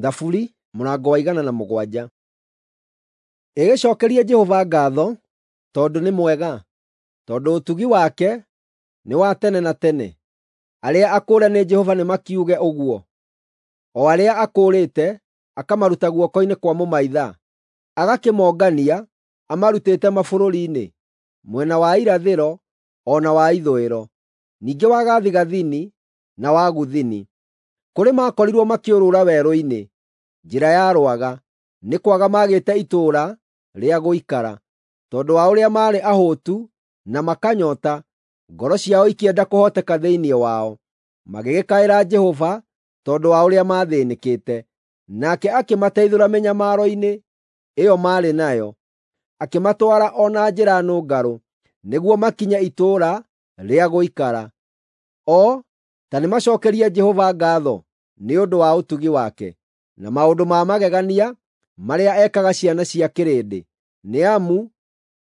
Thaburi mũrango wa 107. Ĩgĩcokerie Jehova ngatho tondũ nĩ mwega, tondũ ũtugi wake nĩ wa tene na tene. Arĩa akũũre nĩ Jehova nĩmakiuge ũguo, o arĩa akũũrĩte akamaruta guoko-inĩ kwa mũmaitha, agakĩmongania amarutĩte mabũrũri-inĩ, mwena wa irathĩro o na wa ithũĩro, ningĩ wa gathigathini na wa gũthini. Kũrĩ makorirwo makĩũrũra werũ-inĩ, njĩra ya rwaga, nĩ kwaga maagĩte itũũra rĩa gũikara. Tondũ wa ũrĩa maarĩ ahũtu na makanyoota, ngoro ciao ikĩenda kũhooteka thĩinĩ wao. Magĩgĩkaĩra Jehova tondũ wa ũrĩa maathĩnĩkĩte, nake akĩmateithũra mĩnyamaro-inĩ ĩyo maarĩ nayo, akĩmatwara o na njĩra nũngarũ, nĩguo makinye itũũra rĩa gũikara. O ta nĩmacookerie Jehova ngaatho nĩ ũndũ wa ũtugi wake, na maũndũ ma magegania marĩa ekaga ciana cia kĩrĩndĩ, nĩ amu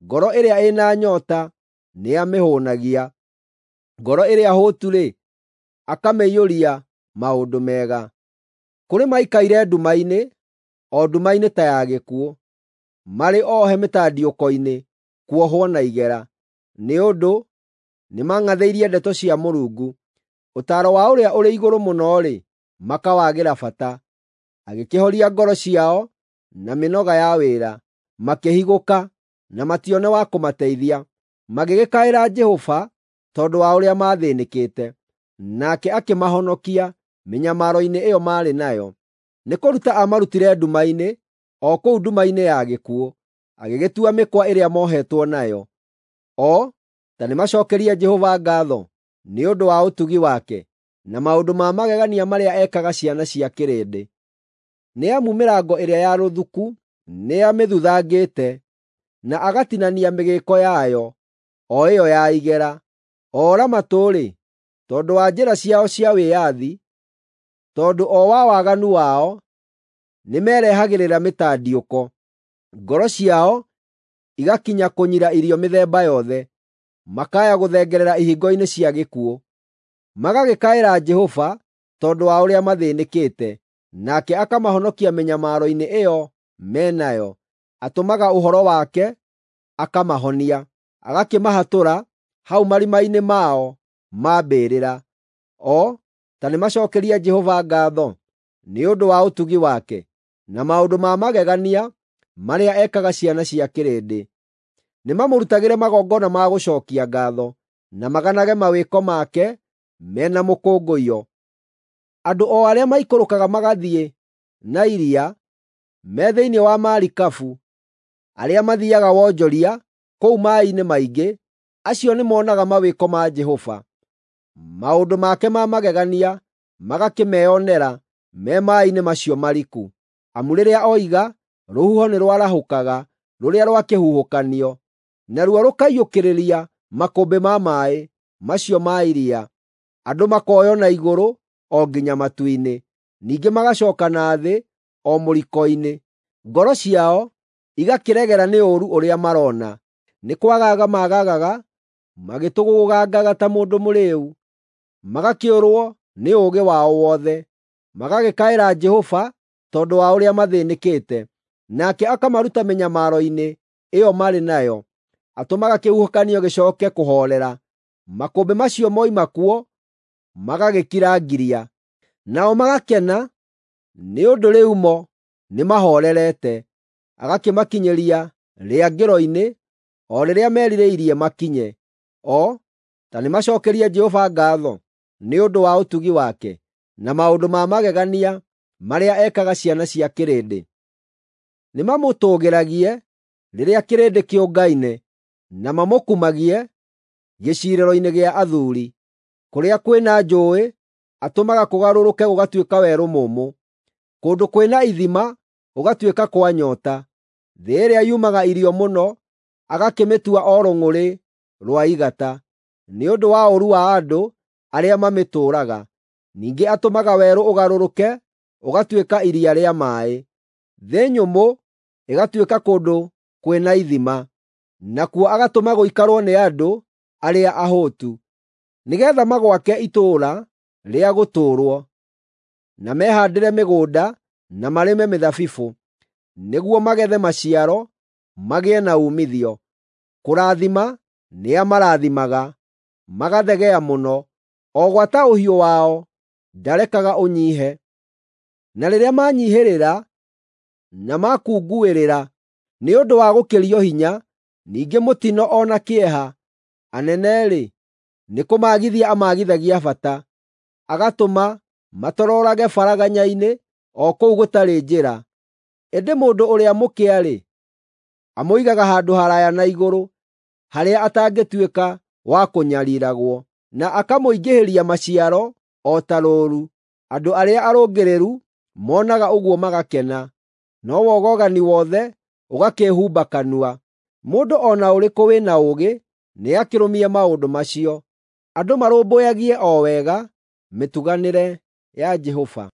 ngoro ĩrĩa ĩna nyoota nĩamĩhũũnagia, ngoro ĩrĩa hũtu-rĩ, akamĩiyũria maũndũ mega. Kũrĩ maikaire nduma-inĩ, o nduma-inĩ ta ya gĩkuũ, marĩ ohe mĩtandiũko-inĩ, kuohwo na igera, nĩ ũndũ nĩmang'athĩirie ndeto cia Mũrungu. Ũtaaro wa Ũrĩa-ũrĩ-Igũrũ-Mũno-rĩ, makawagĩra bata. Agĩkĩhoria ngoro ciao na mĩnoga ya wĩra, makĩhigũka na matione wa kũmateithia. Magĩgĩkaĩra Jehova tondũ wa ũrĩa maathĩnĩkĩte, nake akĩmahonokia mĩnyamaro-inĩ ĩyo maarĩ nayo. Nĩ kũruta aamarutire nduma-inĩ, o kũu nduma-inĩ ya gĩkuũ, agĩgĩtua mĩkwa ĩrĩa moohetwo nayo. O ta nĩmacookerie Jehova ngaatho nĩ ũndũ wa ũtugi wake, na maũndũ ma magegania marĩa ekaga ciana cia kĩrĩndĩ. Nĩ amu mĩrango ĩrĩa ya rũthuku nĩamĩthuthangĩte, na agatinania mĩgĩĩko yayo, o ĩyo ya igera. Oora-matũ-rĩ, tondũ wa njĩra ciao cia wĩyathi, tondũ o wa waganu wao, nĩmerehagĩrĩra mĩtandiũko. Ngoro ciao igakinya kũnyira irio mĩthemba yothe, makaya gũthengerera ihingo-inĩ cia gĩkuũ. Magagĩkaĩra Jehova tondũ wa ũrĩa mathĩnĩkĩte, nake akamahonokia mĩnyamaro-inĩ ĩyo me nayo. Atũmaga ũhoro wake akamahonia, agakĩmahatũra hau marima-inĩ mao ma mbĩrĩra. O ta nĩmacookerie Jehova ngaatho nĩ ũndũ wa ũtugi wake, na maũndũ ma magegania marĩa ekaga ciana cia kĩrĩndĩ. Nĩmamũrutagĩre magongona ma gũcookia ngaatho, na maganage mawĩko make me na mũkũngũiyo. Andũ o arĩa maikũrũkaga magathiĩ na iria me thĩinĩ wa marikabu, arĩa mathiiaga wonjoria kũu maaĩ-inĩ maingĩ, acio nĩmonaga mawĩko ma Jehova, maũndũ make ma magegania magakĩmeonera me maaĩ-inĩ macio mariku. Amu rĩrĩa oiga, rũhuho nĩ rwarahũkaga rũrĩa rwa kĩhuhũkanio, naruo rũkaiyũkĩrĩria makũmbĩ ma maaĩ macio ma iria. Andũ makoywo na igũrũ o nginya matu-inĩ, ningĩ magacooka na thĩ o mũriko-inĩ. Ngoro ciao igakĩregera nĩ ũũru ũrĩa marona, nĩ kwagaga maagaga magĩtũgũũgangaga ta mũndũ mũrĩĩu, magakĩũrwo nĩ ũũgĩ wao wothe. Magagĩkaĩra Jehova tondũ wa ũrĩa mathĩnĩkĩte, nake akamaruta mĩnyamaro-inĩ ĩyo marĩ nayo. Atũmaga kĩhuhũkanio gĩcooke kũhoorera, makũmbĩ macio moima kuo magagĩkira ngiria. Nao magakena nĩ ũndũ rĩu mo nĩmahoorerete, agakĩmakinyĩria rĩangĩro-inĩ o rĩrĩa merirĩirie makinye. O ta nĩmacookerie Jehova ngaatho nĩ ũndũ wa ũtugi wake, na maũndũ ma magegania marĩa ekaga ciana cia kĩrĩndĩ. Nĩmamũtũũgĩragie rĩrĩa kĩrĩndĩ kĩũngaine, na mamũkumagie gĩciirĩro-inĩ gĩa athuuri. Kũrĩa kwĩna njũũĩ atũmaga kũgarũrũke gũgatuĩka werũ mũũmũ, kũndũ kwĩna ithima gũgatuĩka kwa nyoota. Thĩ ĩrĩa yumaga irio mũno agakĩmĩtua o rũng'ũrĩ rwa igata, nĩ ũndũ wa ũũru wa andũ arĩa mamĩtũũraga. Ningĩ atũmaga werũ ũgarũrũke ũgatuĩka iria rĩa maaĩ, thĩ nyũmũ ĩgatuĩka kũndũ kwĩna ithima, nakuo agatũma gũikarwo nĩ andũ arĩa ahũtu, nĩgeetha magwake itũũra rĩa gũtũũrwo, na mehaandĩre mĩgũnda. na marĩme mĩthabibũ, nĩguo magethe maciaro, magĩe na uumithio. Kũrathima nĩamarathimaga, magathegea mũno, o gwata ũhiũ wao ndarekaga ũnyiihe. Na rĩrĩa manyiihĩrĩra na makunguĩrĩra nĩ ũndũ wa gũkĩrio hinya, ningĩ mũtino o na kĩeha, anene-rĩ, nĩkũmaagithia amaagithagia bata, agatũma matororage baraganya-inĩ o kũu gũtarĩ njĩra. Ĩndĩ mũndũ ũrĩa mũkĩa-rĩ, amũigaga handũ haraaya na igũrũ, harĩa atangĩtuĩka wa kũnyariiragwo, na akamũingĩhĩria maciaro o ta rũũru. Andũ arĩa arũngĩrĩru monaga ũguo magakena, no wogogani wothe ũgakĩĩhumba kanua. Mũndũ o na ũrĩkũ wĩna ũũgĩ nĩakĩrũmie maũndũ macio, andũ marũmbũyagie o wega mĩtuganĩre ya Jehova.